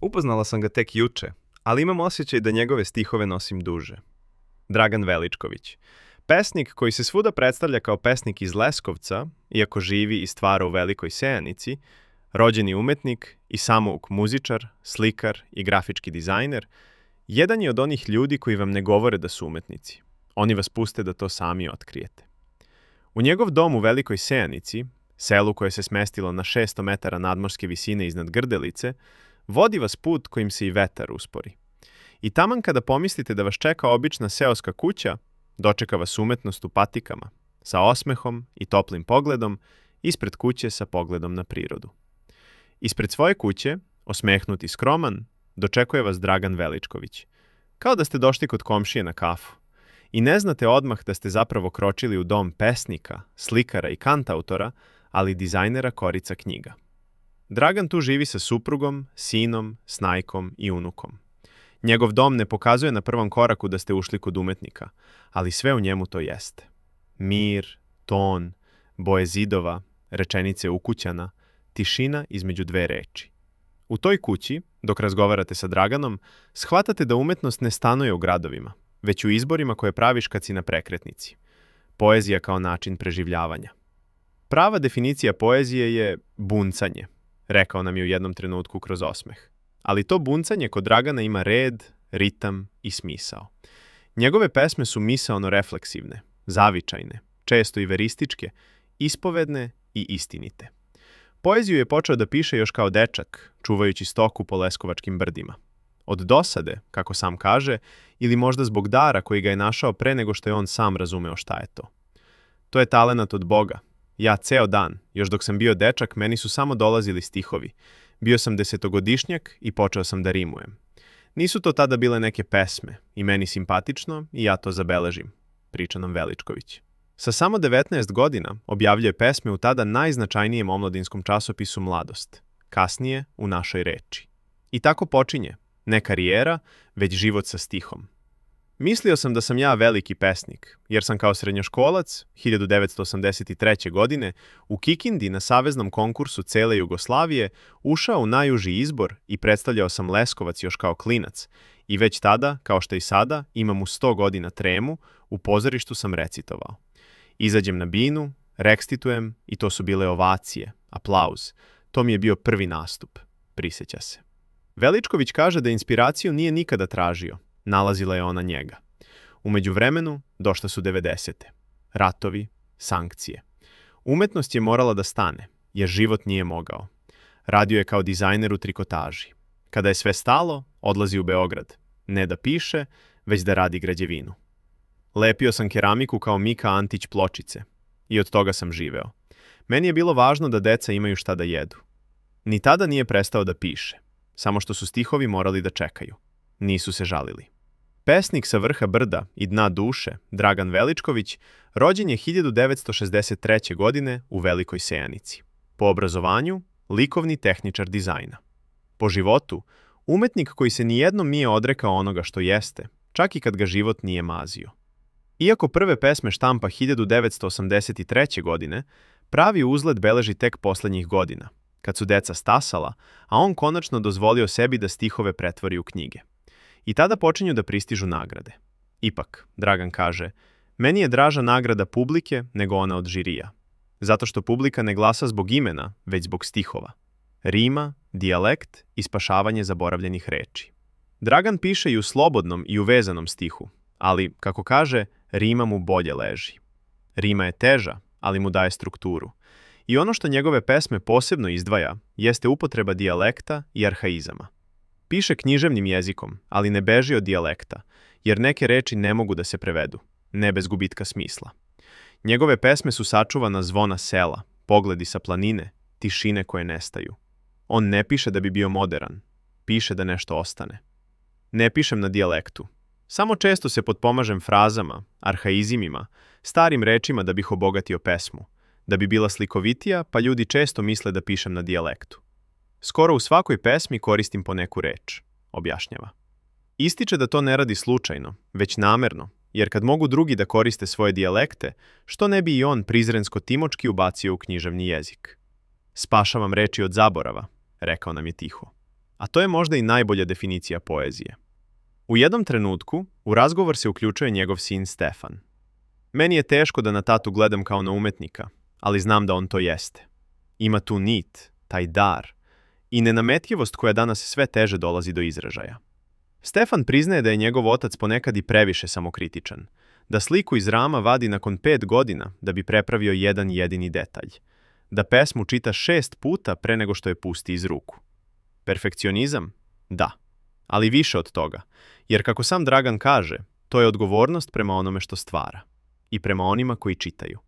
Upoznala sam ga tek juče, ali imam osjećaj da njegove stihove nosim duže. Dragan Veličković. Pesnik koji se svuda predstavlja kao pesnik iz Leskovca, iako živi i stvara u Velikoj Sejanici, rođeni umetnik i samouk muzičar, slikar i grafički dizajner, jedan je od onih ljudi koji vam ne govore da su umetnici. Oni vas puste da to sami otkrijete. U njegov dom u Velikoj Sejanici, selu koje se smestilo na 600 metara nadmorske visine iznad Grdelice, vodi vas put kojim se i vetar uspori. I taman kada pomislite da vas čeka obična seoska kuća, dočeka vas umetnost u patikama, sa osmehom i toplim pogledom, ispred kuće sa pogledom na prirodu. Ispred svoje kuće, osmehnut i skroman, dočekuje vas Dragan Veličković. Kao da ste došli kod komšije na kafu. I ne znate odmah da ste zapravo kročili u dom pesnika, slikara i kantautora, ali dizajnera korica knjiga. Dragan tu živi sa suprugom, sinom, snajkom i unukom. Njegov dom ne pokazuje na prvom koraku da ste ušli kod umetnika, ali sve u njemu to jeste. Mir, ton, boje zidova, rečenice ukućana, tišina između dve reči. U toj kući, dok razgovarate sa Draganom, shvatate da umetnost ne stanuje u gradovima, već u izborima koje praviš kad si na prekretnici. Poezija kao način preživljavanja. Prava definicija poezije je buncanje, rekao nam je u jednom trenutku kroz osmeh. Ali to buncanje kod Dragana ima red, ritam i smisao. Njegove pesme su misaono refleksivne, zavičajne, često i verističke, ispovedne i istinite. Poeziju je počeo da piše još kao dečak, čuvajući stoku po leskovačkim brdima. Od dosade, kako sam kaže, ili možda zbog dara koji ga je našao pre nego što je on sam razumeo šta je to. To je talenat od Boga. Ja ceo dan, još dok sam bio dečak, meni su samo dolazili stihovi. Bio sam 10-godišnjak i počeo sam da rimujem. Nisu to tada bile neke pesme, i meni simpatično, i ja to zabeležim, priča nam Veličković. Sa samo 19 godina objavljuje pesme u tada najznačajnijem omladinskom časopisu Mladost, kasnije u Našoj reči. I tako počinje, ne karijera, već život sa stihom. Mislio sam da sam ja veliki pesnik, jer sam kao srednjoškolac, 1983. godine, u Kikindi na saveznom konkursu cele Jugoslavije ušao u najuži izbor i predstavljao sam Leskovac još kao klinac. I već tada, kao što i sada, imam u 100 godina tremu, u pozorištu sam recitovao. Izađem na binu, rekstitujem i to su bile ovacije, aplauz. To mi je bio prvi nastup, prisjeća se. Veličković kaže da inspiraciju nije nikada tražio. Nalazila je ona njega. U međuvremenu došle su 90. Ratovi, sankcije. Umetnost je morala da stane, jer život nije mogao. Radio je kao dizajner u trikotaži. Kada je sve stalo, odlazi u Beograd. Ne da piše, već da radi građevinu. Lepio sam keramiku kao Mika Antić pločice. I od toga sam živeo. Meni je bilo važno da deca imaju šta da jedu. Ni tada nije prestao da piše. Samo što su stihovi morali da čekaju. Nisu se žalili. Pesnik sa vrha brda i dna duše, Dragan Veličković, rođen je 1963. godine u Velikoj Sejanici. Po obrazovanju, likovni tehničar dizajna. Po životu, umetnik koji se nijednom nije odrekao onoga što jeste, čak i kad ga život nije mazio. Iako prve pesme štampa 1983. godine, pravi uzlet beleži tek poslednjih godina, kad su deca stasala, a on konačno dozvolio sebi da stihove pretvori u knjige. I tada počinju da pristižu nagrade. Ipak, Dragan kaže, meni je draža nagrada publike nego ona od žirija. Zato što publika ne glasa zbog imena, već zbog stihova. Rima, dijalekt i spašavanje zaboravljenih reči. Dragan piše i u slobodnom i u vezanom stihu, ali, kako kaže, rima mu bolje leži. Rima je teža, ali mu daje strukturu. I ono što njegove pesme posebno izdvaja, jeste upotreba dijalekta i arhaizama. Piše književnim jezikom, ali ne beži od dijalekta, jer neke reči ne mogu da se prevedu, ne bez gubitka smisla. Njegove pesme su sačuvana zvona sela, pogledi sa planine, tišine koje nestaju. On ne piše da bi bio moderan, piše da nešto ostane. Ne pišem na dijalektu. Samo često se potpomažem frazama, arhaizimima, starim rečima da bih obogatio pesmu, da bi bila slikovitija, pa ljudi često misle da pišem na dijalektu. Skoro u svakoj pesmi koristim po neku reč, objašnjava. Ističe da to ne radi slučajno, već namerno, jer kad mogu drugi da koriste svoje dijalekte, što ne bi i on prizrensko-timočki ubacio u književni jezik. Spašavam reči od zaborava, rekao nam je tiho. A to je možda i najbolja definicija poezije. U jednom trenutku, u razgovor se uključuje njegov sin Stefan. Meni je teško da na tatu gledam kao na umetnika, ali znam da on to jeste. Ima tu nit, taj dar i nenametljivost koja danas sve teže dolazi do izražaja. Stefan priznaje da je njegov otac ponekad i previše samokritičan, da sliku iz rama vadi nakon 5 godina da bi prepravio jedan jedini detalj, da pesmu čita 6 puta pre nego što je pusti iz ruku. Perfekcionizam? Da, ali više od toga, jer kako sam Dragan kaže, to je odgovornost prema onome što stvara i prema onima koji čitaju.